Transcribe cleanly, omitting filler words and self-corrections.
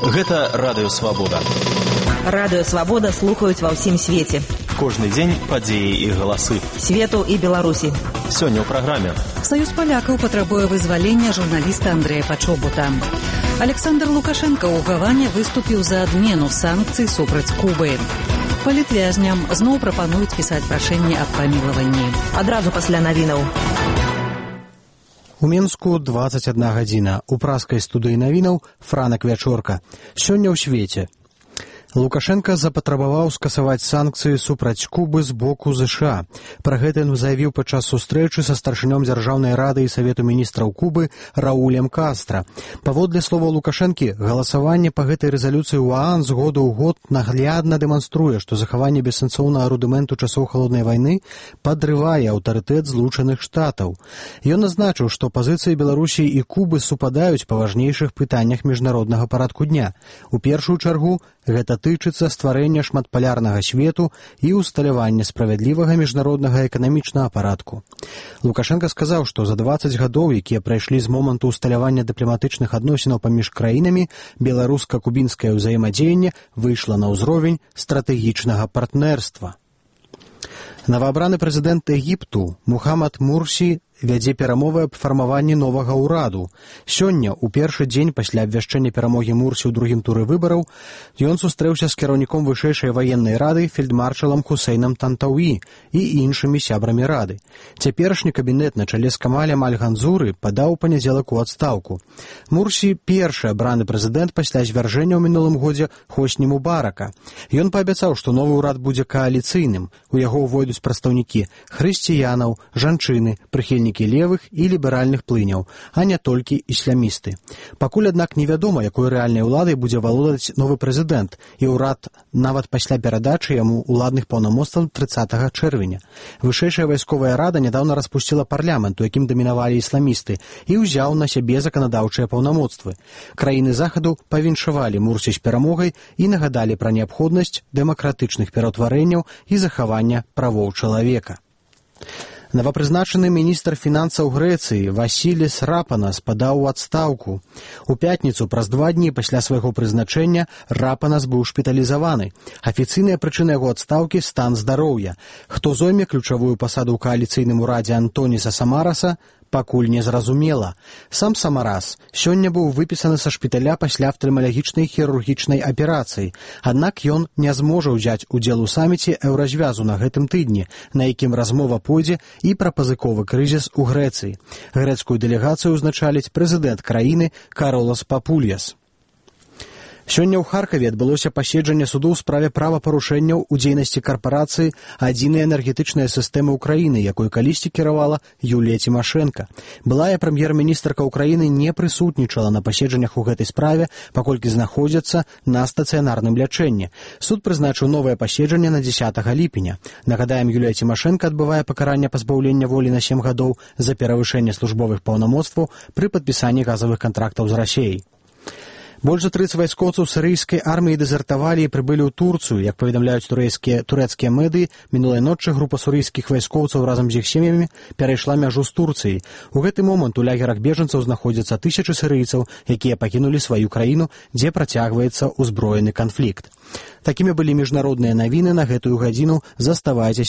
Гэта Радыё Свабода. Радыё Свабода слухаюць ва ўсім свеце. Кожны дзень падзеі і галасы. Свету і Беларусі. Сёння ў праграме. Саюз палякаў патрабуе вызвалення журналіста Андрэя Пачобута. Александр Лукашенко ў Гаване выступіў за адмену санкцый супраць Кубы. Палітвязням зноў прапануюць пісаць прашэнне аб памілаванні. Адразу пасля навінаў. У Мінску 21 гадзіна. У праскай студыі навінаў Франак Вячорка. Сёння ў свеце. Лукашенко запатрабаваў скасаваць санкцыі супраць Кубы з боку ЗША. Пра гэта ён заявіў падчас сустрэчы са старшынём Дзяржаўнай рады і Савету міністраў Кубы Раулем Кастра. Паводле словаў Лукашэнкі, галасаванне па гэтай рэзалюцыі ў ААН з году ў год наглядна дэманструе, што захаванне бессэнсоўнага рудыменту часоў халоднай вайны падрывае аўтарытэт Злучаных Штатаў. Ён адзначыў, што пазіцыі Беларусі і Кубы супадаюць па важнейшых пытаннях міжнароднага парадку дня. У першую чаргу гэта тычыцца стварэння шматпалярнага свету і ўсталявання справядлівага міжнароднага эканамічнага парадку. Лукашенко сказаў, што за 20 гадоў, якія прайшлі з моманту ўсталявання дыпламатычных адносінаў паміж краінамі, беларуска-кубінскае ўзаемадзеянне выйшла на ўзровень стратэгічнага партнерства. Новаабраны прэзідэнт Егіпту Мухаммад Мурсі вядзе перамовы аб фармаванні новага ўраду. Сёння, у першы дзень пасля абвяшчэння перамогі Мурсі ў другім туры выбараў, ён сустрэўся з кіраўніком вышэйшай ваеннай рады фельдмаршалам Хусейнам Тантауі і іншымі сябрамі рады. Цяперашні кабінет на чале з Камалем Аль-Ганзуры падаў у панядзелак у адстаўку. Мурсі першы абраны прэзідэнт пасля звяржэння ў мінулым годзе Хосні Мубарака. Ён паабяцаў, што новы ўрад будзе кааліцыйным. У яго ўвойдуць прадстаўнікі хрысціянаў, жанчыны, прыхільнікі левых і ліберальных плыняў, а не толькі ісламісты. Пакуль, аднак, невядома, якой рэальнай уладай будзе валодаць новы прэзідэнт, і ўрад нават пасля перадачы яму уладных паўнамоцтваў 30 чэрвеня. Вышэйшая вайсковая рада нядаўна распусціла парламент, у якім дамінавалі ісламісты, і ўзяў на сябе заканадаўчыя паўнамоцтвы. Краіны захаду павіншавалі Мурсі з перамогай і нагадалі пра неабходнасць дэмакратычных пераўтварэнняў і захавання правоў чалавека. Новапрызначаны міністр фінансаў Грэцыі Васіліс Рапанас падаў у адстаўку. У пятніцу, праз 2 дні пасля свайго прызначэння, Рапанас быў шпіталізаваны. Афіцыйная прычына яго адстаўкі – стан здароўя. Хто зойме ключавую пасаду ў кааліцыйным урадзе Антоніса Самараса, пакуль не зразумела. Сам Самарас сёння быў выпісаны са шпіталя пасля афтальмалагічнай хірургічнай аперацыі. Аднак ён не зможа ўзяць удзел у саміце еўразвязу на гэтым тыдні, на якім размова пойдзе і пра пазыковы крызіс у Грэцыі. Грэцкую дэлегацыю ўзначаліць прэзідэнт краіны Каролас Папульяс. Сёння ў Харкаве адбылося паседжанне суду ў справе правапарушэнняў у дзейнасці карпорацыі «Адзіная энергетычная сістэма Ўкраіны», якой калісьці кіравала Юлія Цімашэнка. Былая прэм'ер-міністрка Ўкраіны не прысутнічала на паседжаннях у гэтай справе, паколькі знаходзяцца на стацыянарным лячэнні. Суд прызначыў новае паседжанне на 10 ліпеня. Нагадаем, Юлія Цімашэнка адбывае пакаранне пазбаўлення волі на 7 гадоў за перавышэнне службовых паўнамоцтваў пры падпісанні газавых кантрактаў з Расіяй. Больш за 30 вайскоўцаў сірыйскай арміі дэзертавалі і прыбылі ў Турцыю. Як паведамляюць турэцкія медыі, мінулай ночы група сурыйскіх вайскоўцаў разам з іх сем'ямі перайшла мяжу з Турцыяй. У гэты момант у лагерах бежанцаў знаходзяцца тысячы сірыйцаў, якія пакінулі сваю краіну, дзе працягваецца ўзброены канфлікт. Такімі былі міжнародныя навіны на гэтую гадзіну. Заставайцеся